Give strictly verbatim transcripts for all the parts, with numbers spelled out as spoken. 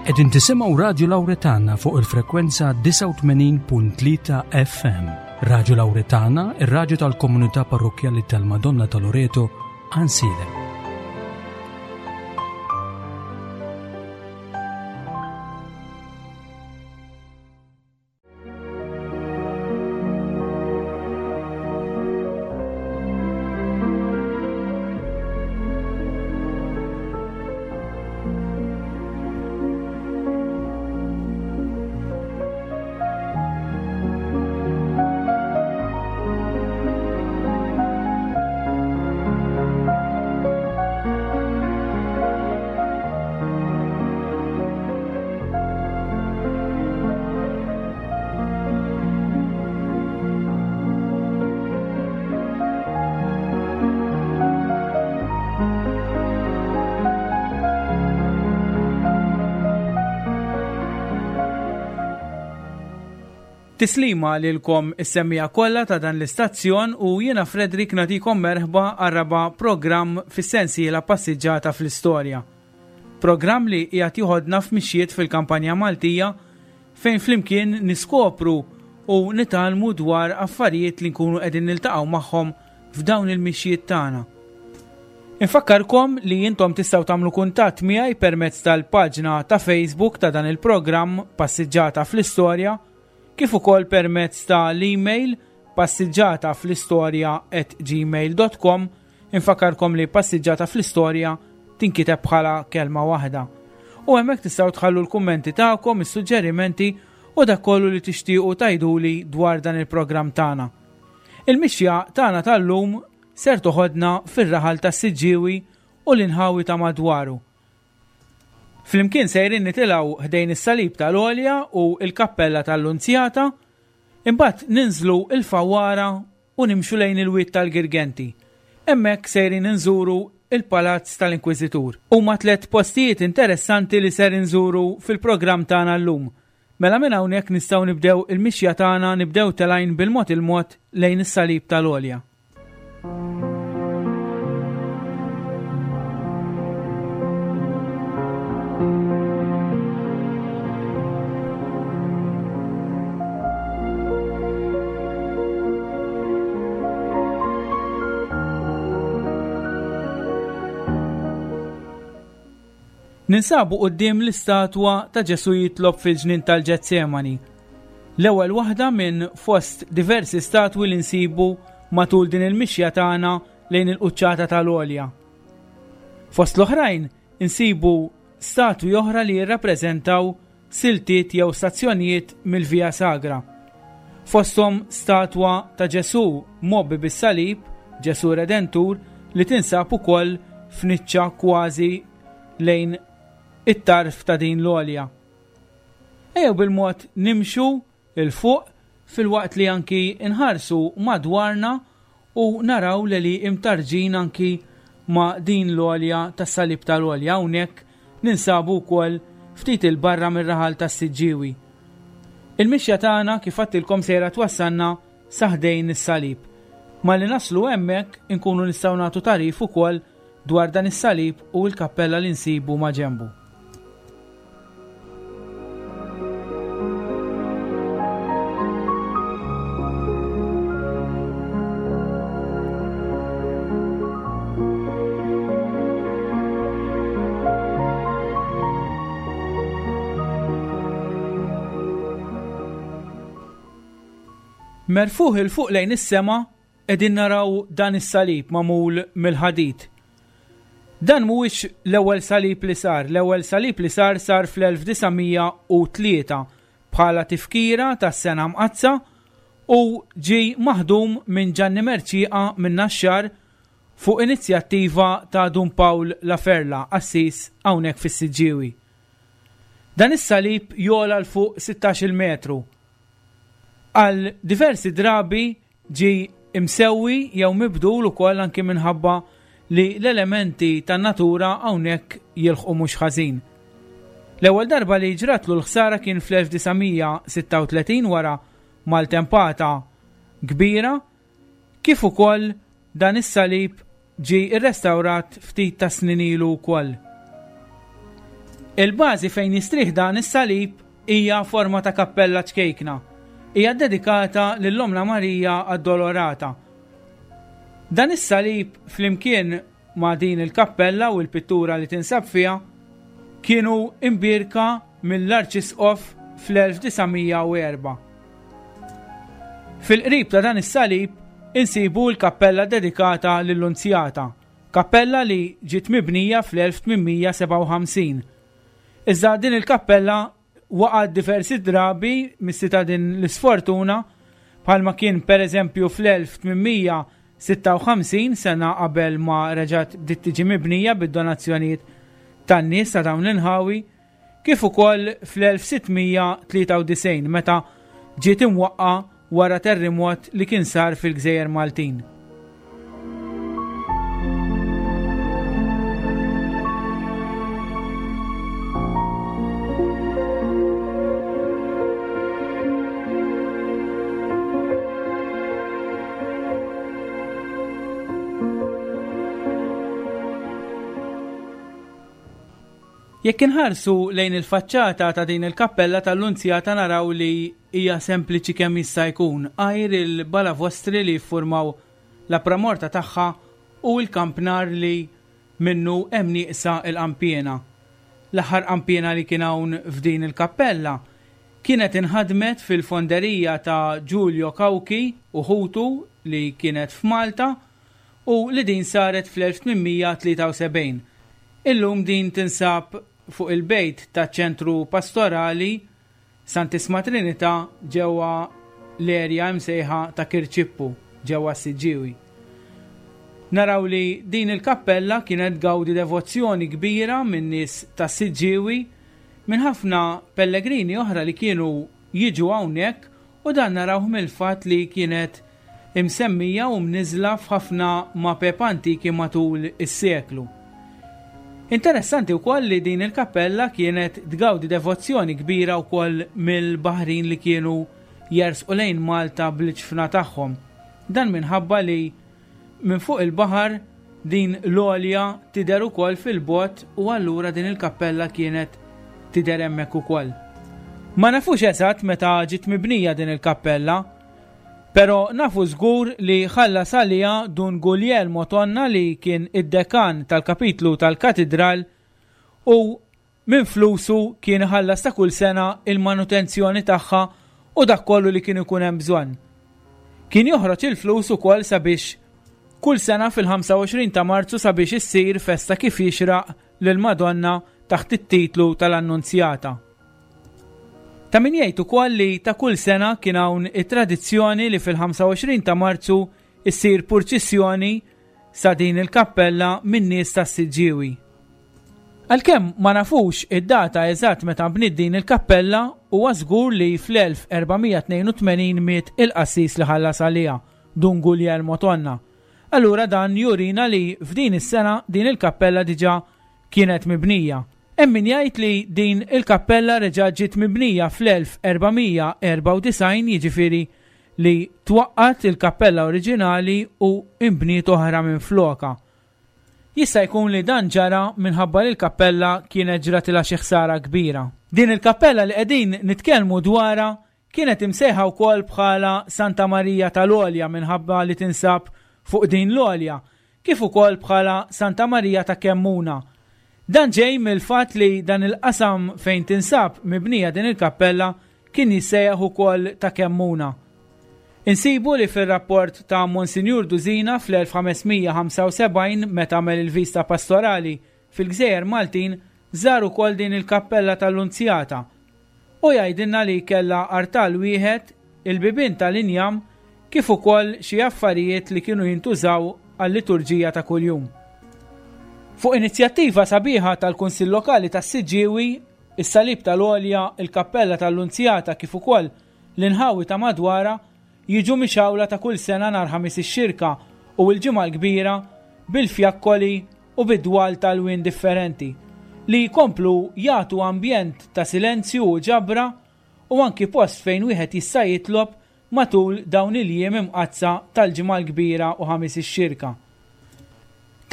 Qegħdin tisimgħu Radju Lawretana fuq il-frekwenza disgħa u tmenin punt tlieta F M. Radju Lawretana, ir-radju tal-Komunità Parrokkjali tal-Madonna ta' Loreto, Għajnsielem. Tislima lilkom is-semmiegħa kollha ta' dan l-istazzjon u jiena Fredrik nagħtikom merħba għar-raba' programm fis-sensiela Passiġġata fl-Istorja. Programm li qiegħed joħodna f'mixjiet fil-kampanja Maltija fejn flimkien niskopru u nitgħallmu dwar affarijiet li nkunu qegħdin niltaqgħu magħhom f'dawn il-mixjiet tagħna. Infakkarkom li intom tistgħu tagħmlu kuntatt miegħi permezz tal-paġna ta' Facebook ta' dan il-programm Passiġġata fl-Istorja, kif ukoll permezz ta' l-email passiġġata fl-istorja at gmail dot com. Infakkarkom li passiġġata fl-istorja tinkiteb bħala kelma waħda. U hemmhekk tistgħu tħallu l-kummenti tagħkom, is-suġġerimenti u dak kollu li tixtiequ tgħiduli dwar dan il-programm tagħna. Il-mixja tagħna tal-lum ser toħodna fir-raħal tas-Siġġiewi u l-inħawi ta' madwaru. Flimkien sejrin nitilgħu ħdejn is-salib tal-Għolja u il-kappella tal-Lunzjata, imbagħad ninżlu il-Fawwara u nimxu lejn il-wied tal-Girgenti. Hemmhekk sejrin inżuru il-Palazz tal-Inkwiżitur. Huma tliet postijiet interessanti li ser inżuru fil-programm tagħna llum. Mela minn hawnhekk nistgħu nibdew il-mixja tagħna, nibdew telgħin bil-mod il-mod lejn is-salib tal-Għolja. Ninsabu quddiem l-istatwa ta' Ġesu jitlob fil-ġnien tal-Ġetsemani. L-ewwel waħda minn fost diversi statwi li nsibu matul din il-mixja tagħna lejn il-quċċata tal-Għolja. Fost l-oħrajn insibu statwi oħra li jirrappreżentaw siltiet jew stazzjonijiet mill-Via Sagra. Fosthom statwa ta' Ġesu mgħobbi bis-salib, Ġesu Redentur, li tinsab ukoll f'niċċa kważi lejn it-tarf ta' din l-għolja. Ejjew bil-mod nimxu 'l fuq filwaqt li anki nħarsu madwarna u naraw li li imtarġin anki ma' din l-għolja tas-salib tal-Għolja. Hawnhekk ninsabu wkoll ftit 'il barra mir-raħal tas-Siġġiewi. Il-mixja tagħna, kif għedtilkom, sejra twassalna sa ħdejn is-salib. Malli naslu hemmhekk inkunu nistgħu nagħtu tagħrif ukoll dwar dan is-salib u l-kappella li nsibu ma' ġenbu. Merfugħ 'il fuq lejn is-sema qegħdin naraw dan is-salib magħmul mill-ħadid. Dan mhuwiex l-ewwel salib li sar. L-ewwel salib li sar sar fl-elf disa' mija u tlieta bħala tifkira tas-Sena Mqaddsa u ġi maħdum minn Ġanni Merċieqa minn Naxxar fuq inizjattiva ta' Dun Pawl Laferla, qassis hawnhekk fis-Siġġiewi. Dan is-salib jogħla 'l fuq sittax-il metru. Għal diversi drabi ġi imsewwi jew mibdul ukoll anki minħabba li l-elementi tan-natura hawnhekk jilħqu mhux ħażin. L-ewwel darba li ġratlu l-ħsara kien fl-elf disa' mija sitta u tletin wara maltempata kbira, kif ukoll dan is-salib ġi irrestawrat ftit ta' snin ilu wkoll. Il-bażi fejn jistrieħ dan is-salib hija forma ta' kappella ċkejkna. Hija dedikata lil Omna Marija Addolorata. Dan is-salib flimkien ma' din il-kappella u l-pittura li tinsab fiha kienu imbierka mill-Arċisqof fl-elf disa' mija u erba'. Fil-qrib ta' dan is-salib insibu l-kappella dedikata lill-Lunzjata, kappella li ġiet mibnija fl-elf tmien mija sebgħa u ħamsin. Iżda din il-kappella waqgħet diversi drabi mis-sita din l-isfortuna, bħalma kien pereżempju fl-elf tmien mija sitta u ħamsin, sena qabel ma reġgħet bdiet tiġi mibnija bid-donazzjonijiet tan-nies ta' dawn l-inħawi, kif ukoll fl-elf sitt mija tlieta u disgħin meta ġiet imwaqqa wara terremot li kien sar fil-Gżejjer Maltin. Jekk inħarsu lejn il-faċċata ta' din il-kappella tal-Lunzjata naraw li hija sempliċi kemm jista' jkun, għajr il-balavostri li jiffurmaw la pramorta tagħha u l-kampnar li minnu hemm nieqsa l-qampiena. L-aħħar qampiena li kien hawn f'din il-kappella kienet inħadmet fil-fonderija ta' Giulio Cauchi u ħutu li kienet f'Malta u li din saret fl-elf tmien mija tlieta u sebgħin. Illum din tinsab fuq il-bejt ta' ċentru pastorali Santissima Trinità ġewwa l-erja imsejħa ta' Kirċippu ġewwa Siġġiewi. Naraw li din il-kappella kienet gawdi devozzjoni kbira minn nies ta' Siġġiewi, minn ħafna pellegrini oħra li kienu jiġu hawnhekk, u dan narawh mill-fatt li kienet imsemmija u mniżla f'ħafna mapep antiki matul is-seklu. Interessanti wkoll li din il-kappella kienet tgawdi devozzjoni kbira wkoll mill-baħrin li kienu jersqu lejn Malta bl-ġfna tagħhom. Dan minħabba li minn fuq il-baħar din l-għolja tidher ukoll fil-bogħod u allura din il-kappella kienet tidher hemmhekk ukoll. Ma nafux eżatt meta ġiet mibnija din il-kappella, però nafu żgur li ħallas għaliha Dun Guglielmo Tonna li kien id-dekan tal-kapitlu tal-katidral u minn flusu kien ħallas ta' kull sena il-manutenzjoni tagħha u dak kollu li kien ikun hemm bżonn. Kien joħroġ il-flus ukoll sabiex kull sena fil-ħamsa u għoxrin ta' Marzu sabiex issir festa kif jixraq lil Madonna taħt it-titlu tal-Annunzjata. Ta' min jgħid ukoll li ta' kull sena kien hawn it-tradizzjoni li fil-ħamsa u għoxrin ta' Marzu issir purċissjoni sa din il-kappella minn nies tas-Siġġiewi. Għalkemm ma nafux id-data eżatt meta bniet din il-kappella, huwa żgur li fl-elf erba' mija tnejn u tmenin miet il-qassis li ħallas għaliha, Dun Guglielmo Tonna. Allura dan jurina li f'din is-sena din il-kappella diġà kienet mibnija. Hemm min jgħid li din il-kappella reġa' ġiet mibnija fl-elf erba' mija erba' u disgħin, jiġifieri li twaqqat il-kappella oriġinali u imbniet oħra minn floka. Jista' jkun li dan ġara minħabba li l-kappella kienet ġratilha xi ħsara kbira. Din il-kappella li qegħdin nitkellmu dwarha kienet imsejħa wkoll bħala Santa Marija tal-Għolja minħabba li tinsab fuq din l-għolja, kif ukoll bħala Santa Marija ta' Kemmuna. Dan ġej mill-fatt li dan il-qasam fejn tinsab mibnija din il-kappella kien jissejjaħ ukoll ta' Kemmuna. Insibu li fir-rapport ta' Monsinjur Duzina fl-elf ħames mija ħamsa u sebgħin meta għamel il-vista pastorali fil-Gżejjer Maltin żar ukoll din il-kappella tal-Lunzjata u jgħidilna li kellha artal wieħed, il-bibien tal-injam kif ukoll xi affarijiet li kienu jintużaw għal-liturġija ta' kuljum. Fuq inizjattiva sabiħa tal-Kunsill Lokali tas-Siġġiewi, is-Salib tal-Għolja, il-Kappella tal-Lunzjata kif ukoll l-inħawi ta' madwara jiġu mixawla ta' kull sena nhar Ħamis ix-Xirka u l-Ġimgħa l-Kbira bil-fjakkoli u bid-dwal tal-wien differenti li jkomplu jagħtu ambjent ta' silenzju u ġabra u anki post fejn wieħed jista' jitlob matul dawn il-jiem imqaddsa tal-Ġimgħa l-Kbira u Ħamis ix-Xirka.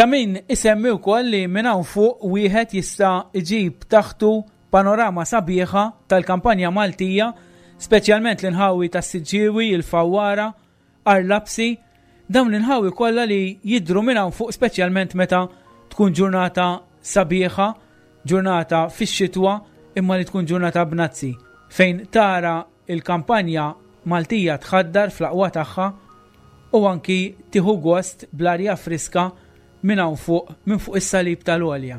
Ta' min isemmi wkoll li minn hawn fuq wieħed jista' iġib taħtu panorama sabiħa tal-kampanja Maltija, speċjalment l-inħawi tas-Siġġiewi, il-Fawwara, Għar Lapsi, dawn l-inħawi kollha li jidhru minn hawn fuq, speċjalment meta tkun ġurnata sabiħa, ġurnata fix-xitwa, imma li tkun ġurnata bnazzi, fejn tara il-kampanja Maltija tħaddar fl-aqwa tagħha u anki tieħu gost bl-arja friska minn hawn fuq, minn fuq is-salib tal-għolja.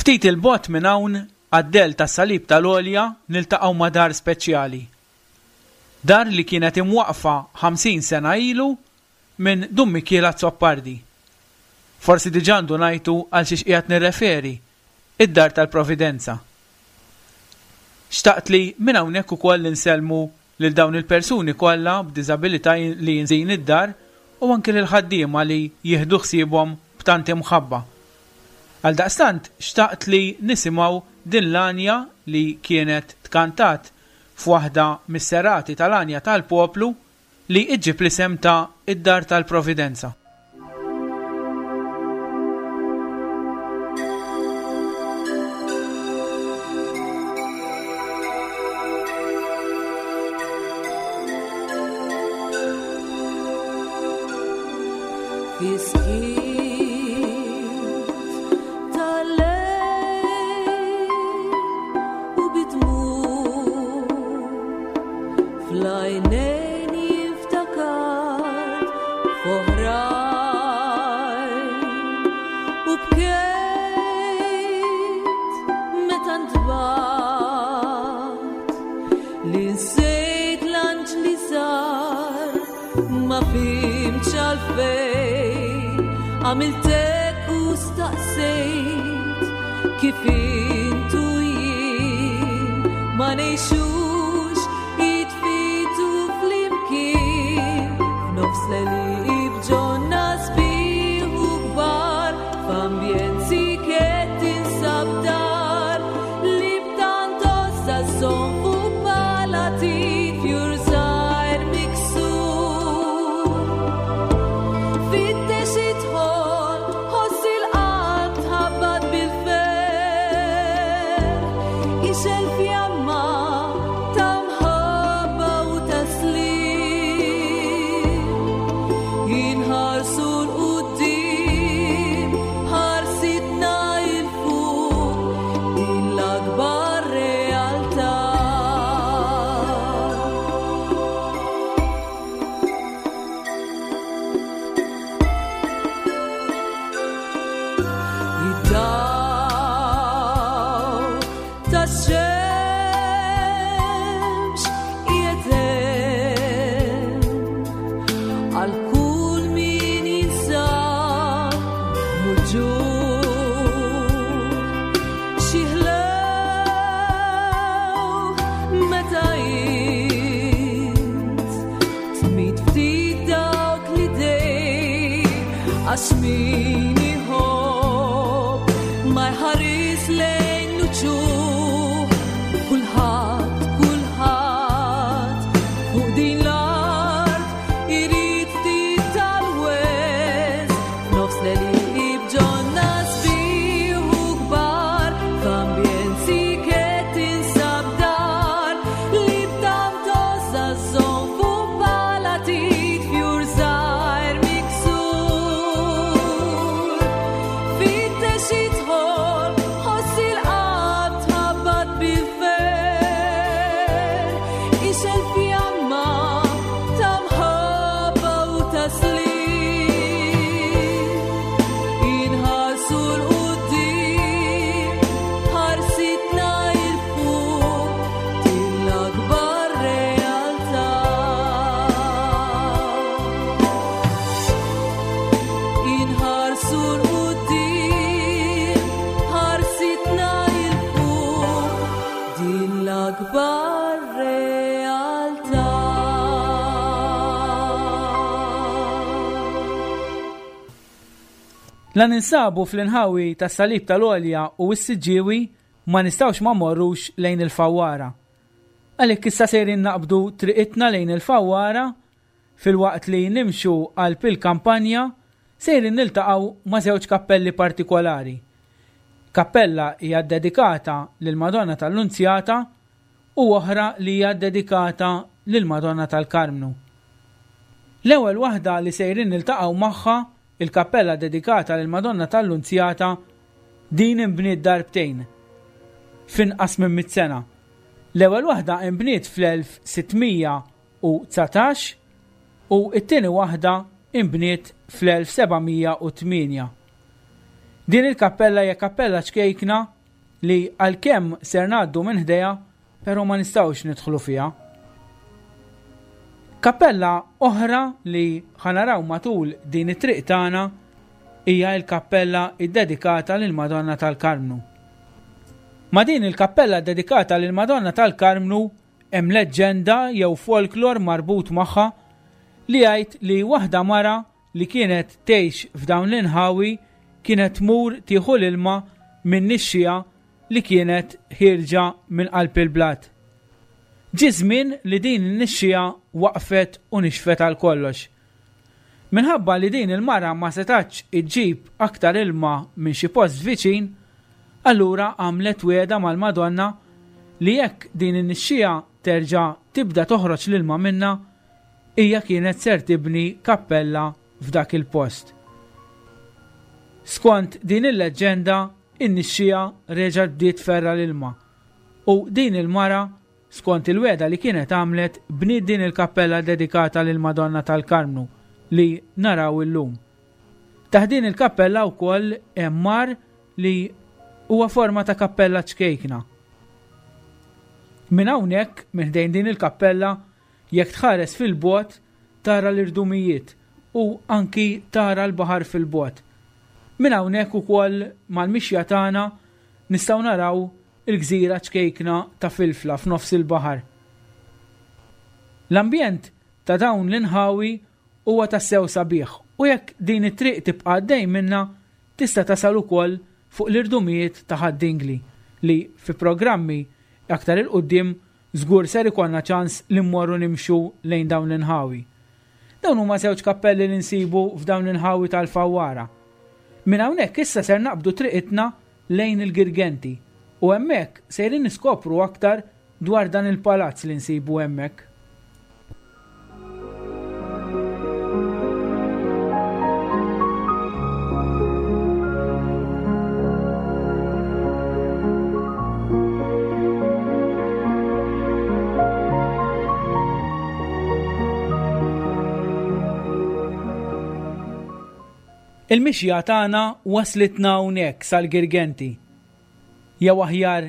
Ftit il-bogħod minn hawn għad-dell tas-salib tal-għolja niltaqgħu ma' dar speċjali. Dar li kienet imwaqfa ħamsin sena ilu minn Dun Mikiel Azzopardi. Forsi diġà ndunajtu għal xiex qiegħed nirreferi, id-dar tal-Providenza. Xtaqt li minn hawnhekk ukoll insellmu lil dawn il-persuni kollha b'diżabilità li jinżin id-dar u anke lil ħaddiema li jieħdu ħsiebhom b'tant imħabba. Għaldaqstant xtaqt li nisimgħu din l-għanja li kienet tkantat f'waħda mis-serati tal-għanja tal-poplu li iġġib l-isem ta' id-Dar tal-Providenza. Għamiltek u staqsejt kif intu jien ma ngħixux jitfitu flimkien f'nofs l-għeli b'ġonna sbieħ u kbar f'ambjent siket tinsab dar li b'tant għożża żżomm fuq palatin fjur żgħir miksur. Fittex idħol, ħoss il-qalb tħabbat bil-ferħ, ixgħel fjamma ta' mħabba u taslim. Inħarsu l-quddiem, ħarsitna 'l fuq, din l-akbar realtà. Id-dawl tax-xemx qiegħed hemm għal kull min jinsab muġugħ. Xi ħlew meta int tmid ftit dawk l-idejn għax min iħobb ma jħares lejn l-uċuħ. Kulħadd, kulħadd fuq din l-art irid ftit tal-wens. Nofs l-għeli b'ġonna sbieħ u kbar, f'ambjent siket tinsab dar li b'tant għożża żżomm fuq palatit fjur żgħir miksur. Fittex idħol, ħoss il-qalb tħabbat bil-ferħ, ixgħel fjamma ta' mħabba u taslim. Inħarsu l-quddiem, ħarsitna 'l fuq, din l-akbar realtà. Inħarsu l-quddiem, ħarsitna 'l fuq, din l-akbar realtà. La ninsabu fl-inħawi tas-Salib tal-Għolja u s-Siġġiewi ma nistgħux ma mmorrux lejn il-Fawwara. Għalhekk issa sejrin naqbdu triqitna lejn il-Fawwara filwaqt li nimxu qalb il-kampanja sejrin niltaqgħu ma' żewġ kappelli partikolari. Kappella hija ddedikata lill-Madonna tal-Lunzjata u oħra li hija ddedikata lill-Madonna tal-Karmnu. L-ewwel waħda li sejrin niltaqgħu magħha, il-kappella dedikata lill-Madonna tal-Lunzjata, din inbniet darbtejn f'inqas minn mitt sena. L-ewwel waħda inbniet fl-elf sitt mija u dsatax u t-tieni waħda inbniet fl-elf seba' mija u tmienja. Din il-kappella hija kappella ċkejkna li għalkemm ser ngħaddu minn ħdejha, però ma nistgħux nidħlu fiha. Kappella oħra li ħa naraw matul din it-triq tagħna hija l-kappella ddedikata lil Madonna tal-Karmnu. Ma' din il-kappella dedikata lil Madonna tal-Karmnu hemm leġġenda jew folklor marbut magħha li jgħid li waħda mara li kienet tgħix f'dawn l-inħawi kienet tmur tieħu l-ilma minn nixxija li kienet ħierġa minn qalb il-blat. Ġie żmien li din in-nixxija waqfet u nixfet għal kollox. Minħabba li din il-mara ma setax iġġib aktar ilma minn xi post viċin, allura għamlet wegħda mal-Madonna li jekk din in-nixxija terġa' tibda toħroġ l-ilma minna, hija kienet ser tibni kappella f'dak il-post. Skont din il-leġġenda, in-nixxija reġgħet bdiet tferra l-ilma u din il-mara, skont il-wegħda li kienet għamlet, bniet din il-kappella dedikata lil Madonna tal-Karmnu li naraw illum. Taħt din il-kappella wkoll hemm mar li huwa forma ta' kappella ċkejkna. Minn hawnhekk, minn ħdejn din il-kappella, jekk tħares fil-bogħod tara l-irdumijiet u anki tara l-baħar fil-bogħod. Minn hawnhekk ukoll mal-mixja tagħna nistgħu naraw il-gżira ċkejkna ta' Filfla f'nofs il-baħar. L-ambjent ta' dawn l-inħawi huwa tassew sabiħ u jekk din it-triq tibqa' għaddej minna tista' tasal ukoll fuq l-irdumijiet ta' Ħad-Dingli li fi programmi aktar 'il quddiem żgur ser ikollna ċans li mmorru nimxu lejn dawn l-inħawi. Dawn huma żewġ kappelli li nsibu f'dawn l-inħawi tal-Fawwara. Minn hawnhekk issa ser naqbdu triqitna lejn il-Girgenti u hemmhekk sejrin niskopru aktar dwar dan il-palazz li nsibu hemmhekk. Il-mixja tagħna waslitna hawnhekk sal-Girgenti. Jew aħjar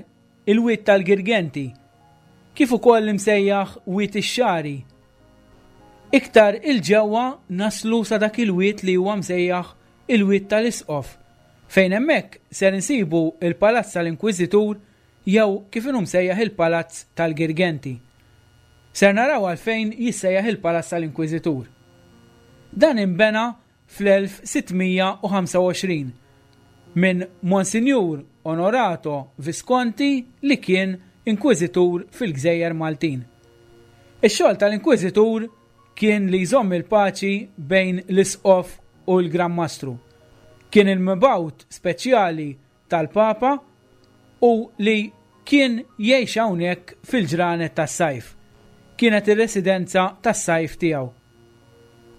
il-Wied tal-Girgenti, kif ukoll imsejjaħ Wied ix-Xagħri. Iktar il-ġewwa naslu sa dak il-wied li huwa msejjaħ il-Wied tal-Isqof, fejn hemmhekk ser insibu il-Palazz tal-Inkwiżitur jew kif inhu msejjaħ il-Palazz tal-Girgenti. Ser naraw għalfejn jissejjaħ il-Palazz tal-Inkwiżitur. Dan inbena fl-elf sitt mija u ħamsa u għoxrin minn Monsinjur Onorato Visconti li kien inkwiżitur fil-Gżejjer Maltin. Ix-xogħol tal-inkwiżitur kien li jżomm il-paċi bejn l-Isqof u l-Gran Mastru. Kien il-mibgħut speċjali tal-Papa u li kien jgħix hawnhekk fil-ġranet tas-sajf. Kienet ir-residenza tas-sajf tiegħu.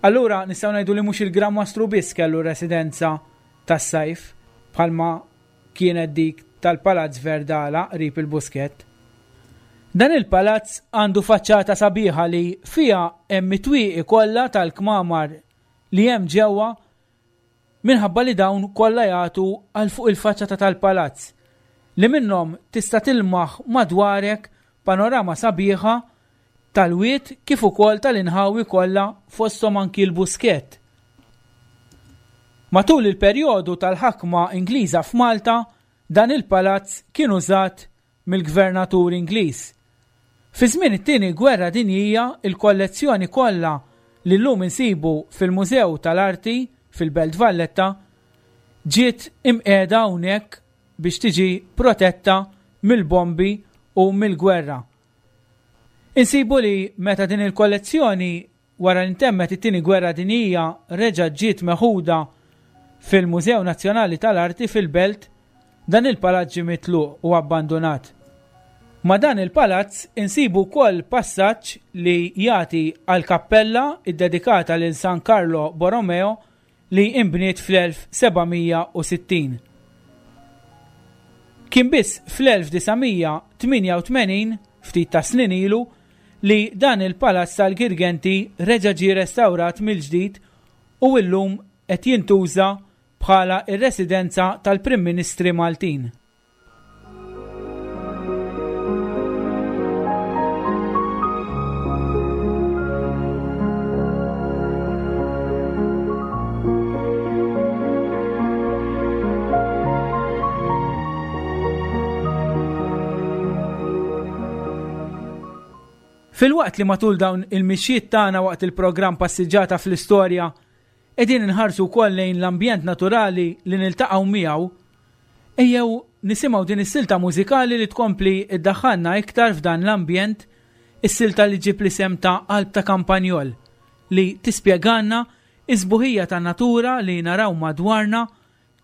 Allura nistgħu ngħidu li mhux il-Gran Mastru biss kellu residenza tas-sajf bħalma kienet dik tal-Palazz Verdala qrib il-Buskett. Dan il-palazz għandu faċċata sabiħa li fiha hemm it-twieqi kollha tal-kmamar li hemm ġewwa minħabba li dawn kollha jagħtu għal fuq il-faċċata tal-palazz li minnhom tista' tilmaħ madwarek panorama sabiħa tal-wied kif ukoll tal-inħawi kollha fosthom anki l-Buskett. Matul il-perjodu tal-ħakma Ingliża f'Malta, dan il-palazz kien użat mill-gvernatur Ingliż. Fi żmien it-tieni gwerra dinjija, il-kollezzjoni kollha li llum insibu fil-Mużew tal-Arti fil-Belt Valletta ġiet imqiegħda hawnhekk biex tiġi protetta mill-bombi u mill-gwerra. Insibu li meta din il-kollezzjoni wara li ntemmet it-tieni gwerra dinjija reġa' ġiet meħuda fil-Mużew Nazzjonali tal-Arti fil-Belt, dan il-palazz ġie mitluq u abbandunat. Ma' dan il-palazz insibu wkoll passaġġ li jagħti għal kappella ddedikata lil San Carlo Borromeo li inbniet fl-elf seba' mija u sittin. Kien biss fl-elf disa' mija tmienja u tmenin, ftit ta' snin ilu, li dan il-palazz tal-Girgenti reġa' ġie restawrat mill-ġdid u illum qed jintuża bħala r-residenza tal-Prim Ministri Maltin. Filwaqt li matul dawn il-mixjiet tagħna waqt il-programm Passiġġata fl-Istorja qegħdin inħarsu wkoll lejn l-ambjent naturali li niltaqgħu miegħu, ejjew nisimgħu din is-silta mużikali li tkompli iddaħħalna iktar f'dan l-ambjent, is-silta li ġib l-isem ta' Qalb ta' Kampanjol, li tispjegalna is-sbuħija tan-natura li naraw madwarna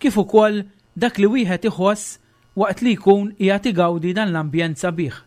kif ukoll dak li wieħed iħoss waqt li jkun qiegħed igawdi dan l-ambjent sabiħ.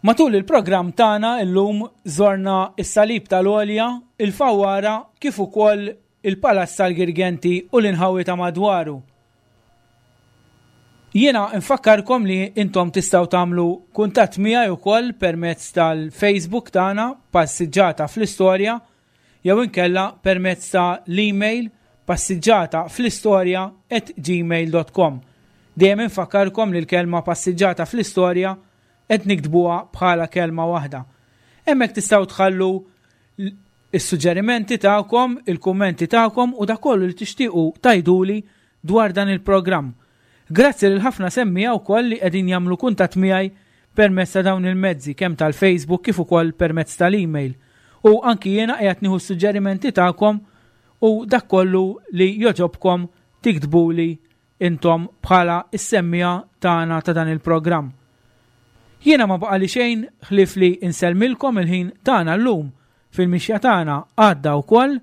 Matul il-programm tagħna illum żorna s-Salib tal-Għolja, il-Fawwara, kif ukoll il-Palazz tal-Girgenti u l-inħawi ta' madwaru. Jiena nfakkarkom li intom tistgħu tagħmlu kuntatt miegħi wkoll permezz tal-Facebook tagħna Passiġġata fl-Istorja jew inkella permezz ta' l-email passiġġata fl-istorja at gmail dot com. Dejjem infakkarkom li l-kelma "passiġġata fl-istorja" qed niktbuha bħala kelma waħda. Hemmhekk tistgħu tħallu is-suġġerimenti tagħkom, il-kummenti tagħkom u dak kollu li tixtiequ tgħiduli dwar dan il-programm. Grazzi lil ħafna semmiegħa wkoll li qegħdin jagħmlu kuntatt miegħi permezz ta' dawn il-mezzi, kemm tal-Facebook kif ukoll permezz tal-email. U anki jiena qiegħed nieħu suġġerimenti tagħkom u dak kollu li jogħġobkom tiktbuli intom bħala is-semmiegħa tagħna ta' dan il-programm. Jiena ma baqali xejn ħlief li insellmilkom. Il-ħin tagħna llum fil-mixja tagħna għadda wkoll.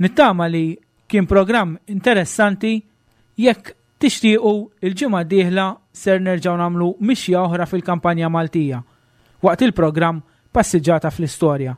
Nittama li kien programm interessanti. Jekk tixtiequ, il-ġimgħa d-dieħla ser nerġgħu nagħmlu mixja oħra fil-kampanja Maltija waqt il-programm Passiġġata fl-Istorja.